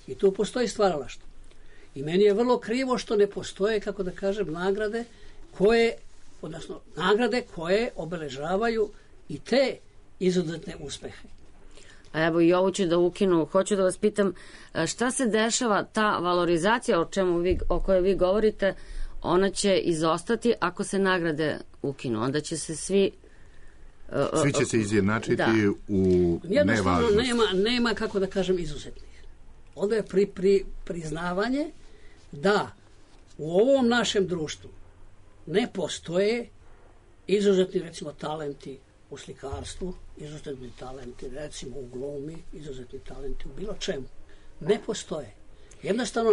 I tu postoji stvaralaštvo. I meni je vrlo krivo što ne postoje, kako da kažem, nagrade koje obeležavaju i te izuzetne uspehe. A evo i ovo ću da ukinu. Hoću da vas pitam šta se dešava, ta valorizacija o kojoj vi govorite, ona će izostati ako se nagrade ukinu. Onda će se svi će se izjednačiti u nevažnosti. Nema, kako da kažem, izuzetnih. Onda je priznavanje da u ovom našem društvu ne postoje izuzetni, recimo, talenti u slikarstvu, izuzetni talenti, recimo, u glumi, izuzetni talenti u bilo čemu. Ne postoje. Jednostavno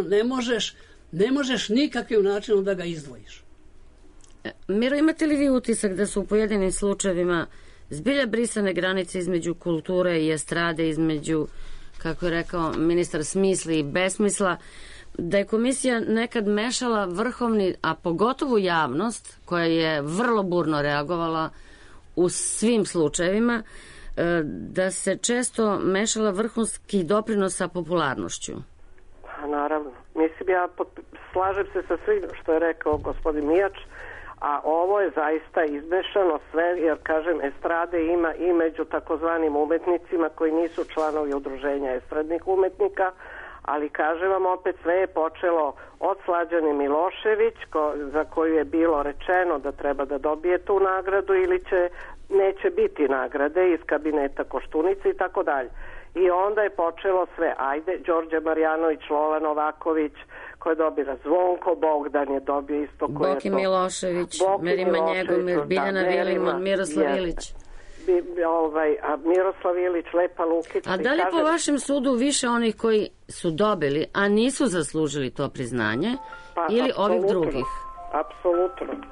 ne možeš nikakvim načinom da ga izdvojiš. Miro, imate li vi utisak da su u pojedinim slučajevima zbilja brisane granice između kulture i estrade, između, kako je rekao ministar, smisla i besmisla, da je komisija nekad mešala vrhovni, a pogotovo javnost, koja je vrlo burno reagovala u svim slučajevima, da se često mešala vrhunski doprinos sa popularnošću? Naravno. Mislim, ja slažem se sa svim što je rekao gospodin Mijač, a ovo je zaista izmešano sve, jer, kažem, estrade ima i među takozvanim umetnicima koji nisu članovi udruženja estradnih umetnika, ali, kažem vam, opet sve je počelo od Slađane Milošević, za koju je bilo rečeno da treba da dobije tu nagradu ili neće biti nagrade iz kabineta Koštunice i tako dalje. I onda je počelo sve, Đorđe Marjanović, Lola Novaković, ko je dobila, Zvonko Bogdan je dobio isto. Boki Milošević, Merima Njegomir, Biljana Vilimon, Miroslav Ilić. Miroslav Ilić, Lepa Lukić. A da li po vašem sudu više onih koji su dobili, a nisu zaslužili to priznanje, ili ovih drugih? Apsolutno.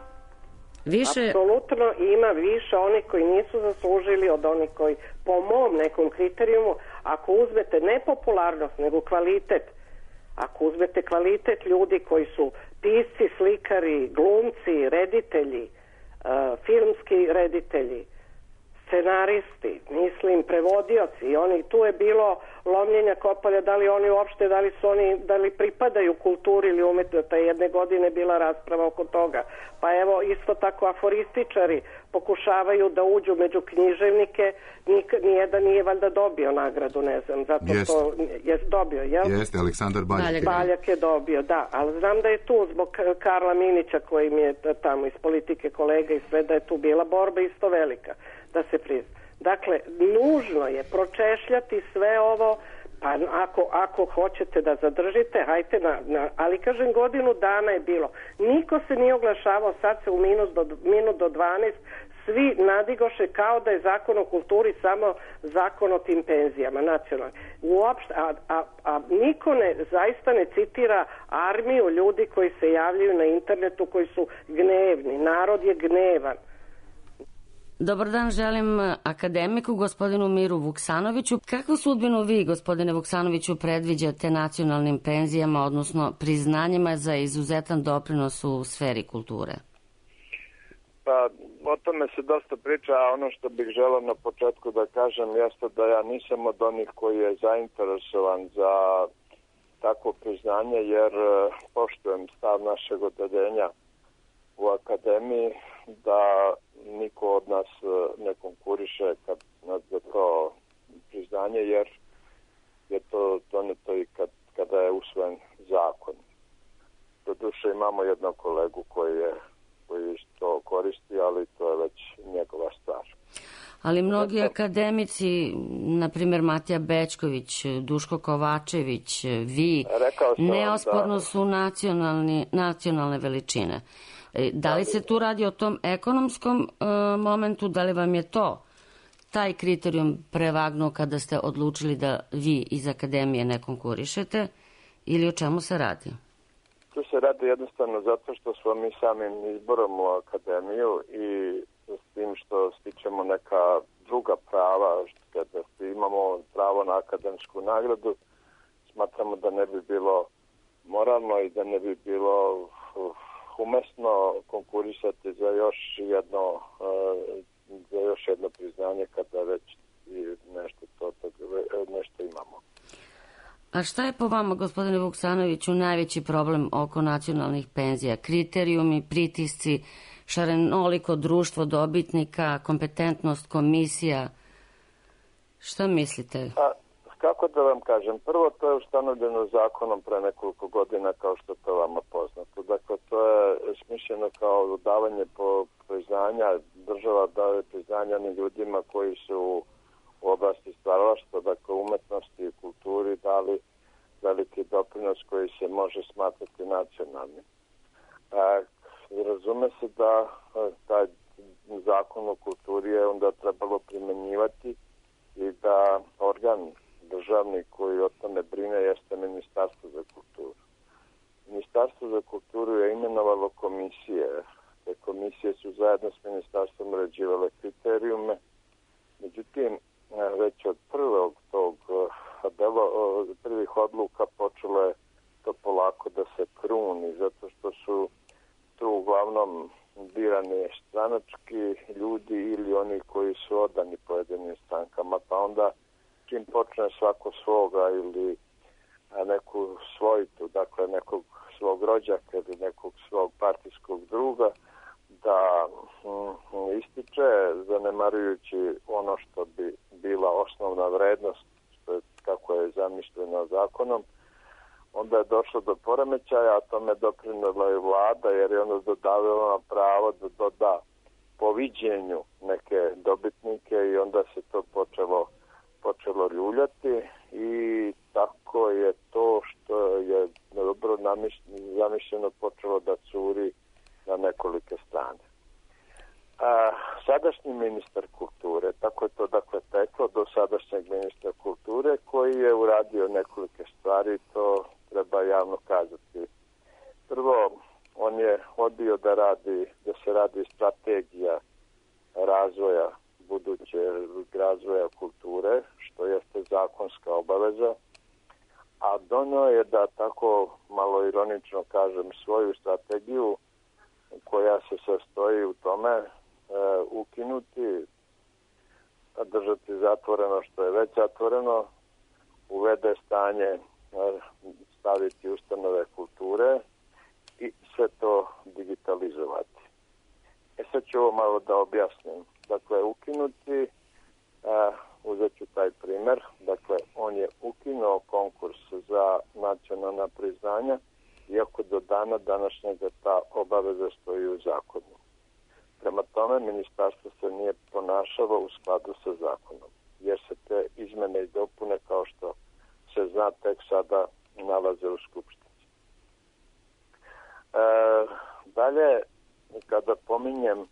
Apsolutno ima više onih koji nisu zaslužili od onih koji po mom nekom kriterijumu, ako uzmete ne popularnost nego kvalitet, ako uzmete kvalitet ljudi koji su pisci, slikari, glumci, reditelji, filmski reditelji, scenaristi, mislim prevodioci, i oni, tu je bilo lomljenja kopalja, da li oni uopšte, da li pripadaju kulturi ili umetnosti. Jedne godine bila rasprava oko toga. Pa evo, isto tako aforističari pokušavaju da uđu među književnike, nijedan nije valjda dobio nagradu, ne znam, zato što je dobio, jel? Jeste, Aleksandar Baljak. Baljak je dobio, da, ali znam da je tu zbog Karla Minića, koji mi je tamo iz politike kolega i sve, da je tu bila borba isto velika da se prizna. Dakle, nužno je pročešljati sve ovo, pa ako hoćete da zadržite, hajte ali kažem, godinu dana je bilo. Niko se nije oglašavao, sad se u minut do 12 svi nadigoše kao da je zakon o kulturi samo zakon o tim penzijama nacionalnim. Uopšte, a niko zaista ne citira armiju ljudi koji se javljaju na internetu, koji su gnevni. Narod je gnevan. Dobar dan, želim akademiku, gospodinu Miru Vuksanoviću. Kakvu sudbinu vi, gospodine Vuksanoviću, predviđate nacionalnim penzijama, odnosno priznanjima za izuzetan doprinos u sferi kulture? Pa, o tome se dosta priča, a ono što bih želeo na početku da kažem jeste da ja nisam od onih koji je zainteresovan za takvo priznanje, jer poštujem stav našeg odeljenja u akademiji da niko od nas ne konkuriše za to priznanje, jer je to doneto i kada je usvojen zakon. Doduše imamo jednog kolegu koji to koristi, ali to je već njegova stvar. Ali mnogi akademici, na primjer Matija Bečković, Duško Kovačević, vi, neosporno su nacionalne veličine. Da li se tu radi o tom ekonomskom momentu, da li vam je to taj kriterijum prevagnuo kada ste odlučili da vi iz akademije ne konkurišete, ili o čemu se radi? Tu se radi jednostavno zato što smo mi samim izborom u akademiju i s tim što stičemo neka druga prava, kada imamo pravo na akademsku nagradu, smatramo da ne bi bilo moralno i da ne bi bilo umesno konkurisati za još jedno priznanje kada već nešto imamo. A šta je po vama, gospodine Vuksanoviću, najveći problem oko nacionalnih penzija? Kriterijumi, pritisci, šarenoliko društvo dobitnika, kompetentnost komisija? Šta mislite? Kako da vam kažem? Prvo, to je ustanovljeno zakonom pre nekoliko godina, kao što to vama poznato. Dakle, to je smišljeno kao davanje priznanja, država daje priznanja onim ljudima koji su u oblasti stvaralaštva, dakle umetnosti i kulturi, dali veliki doprinos koji se može smatrati nacionalnim. Razume se da taj zakon o kulturi je onda trebalo primenjivati i da organ državni koji o tome brine jeste Ministarstvo za kulturu. Ministarstvo za kulturu je imenovalo komisije. Te komisije su zajedno s ministarstvom uređivale kriterijume. Međutim, već od prvih odluka počelo je to polako da se kruni, zato što su tu uglavnom birani stranački ljudi ili oni koji su odani pojedinim strankama, pa onda čim počne svako svoga ili neku svojitu, dakle nekog svog rođaka ili nekog svog partijskog druga, da ističe, zanemarujući ono što bi bila osnovna vrednost, što je, kako je zamišljeno zakonom, onda je došlo do poremećaja, a tome doprinela je vlada, jer je ona dodavila pravo da doda po viđenju neke dobitnike i onda se to počelo ljuljati i tako je to što je dobro zamišljeno počelo da curi na nekolike strane. Sadašnji ministar kulture, tako je to dakle teklo do sadašnjeg ministra kulture, koji je uradio nekolike stvari, to treba javno kazati. Prvo, on je odbio da se radi strategija razvoja budućeg razvoja kulture, što jeste zakonska obaveza, a donio je da tako malo ironično kažem svoju strategiju koja se sastoji u tome ukinuti, držati zatvoreno što je već zatvoreno, uvede stanje, staviti ustanove kulture i sve to digitalizovati. Sad ću ovo malo da objasnim. Dakle, ukinuti, uzet ću taj primer, dakle, on je ukinuo konkurs za nacionalna priznanja, iako do dana današnjega ta obaveza stoji u zakonu. Prema tome, ministarstvo se nije ponašalo u skladu sa zakonom, jer se te izmene i dopune, kao što se zna, tek sada nalaze u Skupštini. Dalje, kada pominjem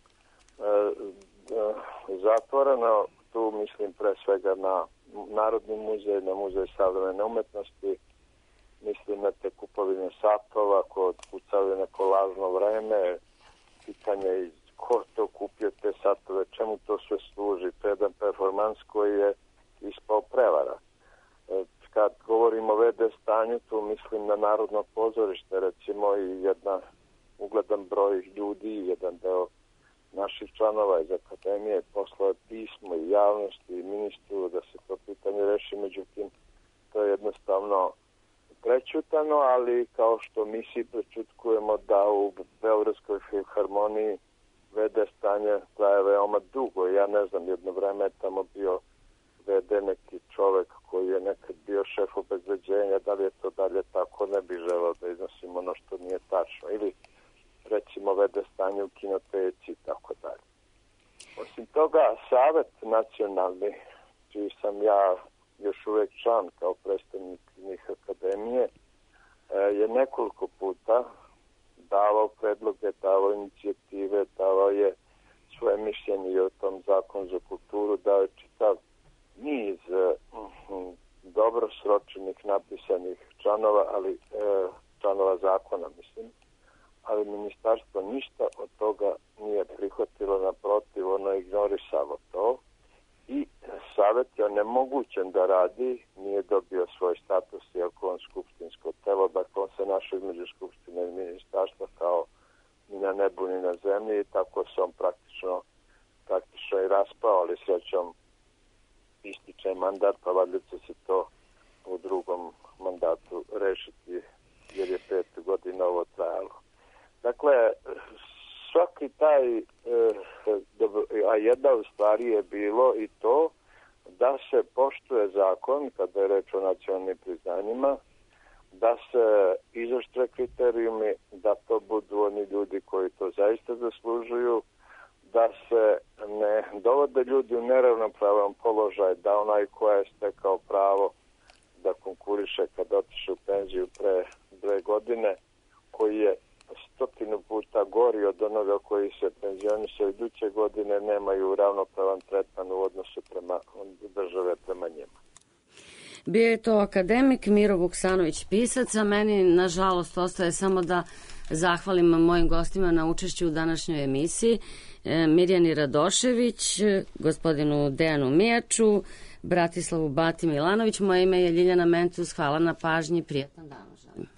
zatvoreno, tu mislim pre svega na Narodni muzej, na Muzej savremene umetnosti, mislim na te kupovine satova, kod kucali neko lažno vreme, pitanje je ko to kupio te satove, čemu to sve služi, to je jedan performans koji je ispao prevara. Kad govorimo o VD stanju, tu mislim na Narodno pozorište, recimo, i jedan ugledan broj ljudi, jedan deo naših članova iz akademije poslao pismo i javnosti i ministru da se to pitanje reši, međutim to je jednostavno prećutano, ali kao što mi svi prečutkujemo da u Beogradskoj filharmoniji VD stanje traje veoma dugo. Ja ne znam, jedno vreme je tamo bio VD neki čovek koji je nekad bio šef obezbeđenja, da li je to dalje tako, ne bi želeo da iznosim ono što nije tačno. Ili recimo VD stanje u kinoteci i tako dalje. Osim toga, Savet nacionalni, čiji sam ja još uvek član kao predstavnik akademije, je nekoliko puta davao predloge, davao inicijative, davao je svoje mišljenje o tom zakonu za kulturu, dao je čitav niz dobro sročenih, napisanih članova zakona, mislim, ali ministarstvo ništa od toga nije prihvatilo, naprotiv, ono ignorisalo to i Savet je onemogućen da radi, nije dobio svoj status, iako on skupštinsko telo, dakle on se našao između skupštine i ministarstva kao ni na nebu ni na zemlji i tako se on praktično i raspao, ali srećom ističe mandat, pa valjda će se to u drugom mandatu rešiti, jer je 5 godina ovo trajalo. Dakle, svaki taj, a jedna od stvari je bilo i to da se poštuje zakon kada je reč o nacionalnim priznanjima, da se izoštre kriterijumi, da to budu oni ljudi koji to zaista zaslužuju, da se ne dovode ljudi u neravnopravan položaj, da onaj ko je stekao pravo da konkuriše kada otiše u penziju pre 2 godine, koji je 100 puta gori od onoga koji se penzionisao iduće godine, nemaju ravnopravan tretman u odnosu prema države prema njima. Bio je to akademik Miro Vuksanović pisac, a meni nažalost ostaje samo da zahvalim mojim gostima na učešću u današnjoj emisiji, Mirjani Radošević, gospodinu Dejanu Mijaču, Bratislavu Bati Milanović. Moje ime je Ljiljana Mentus, hvala na pažnji, prijetan dan želim.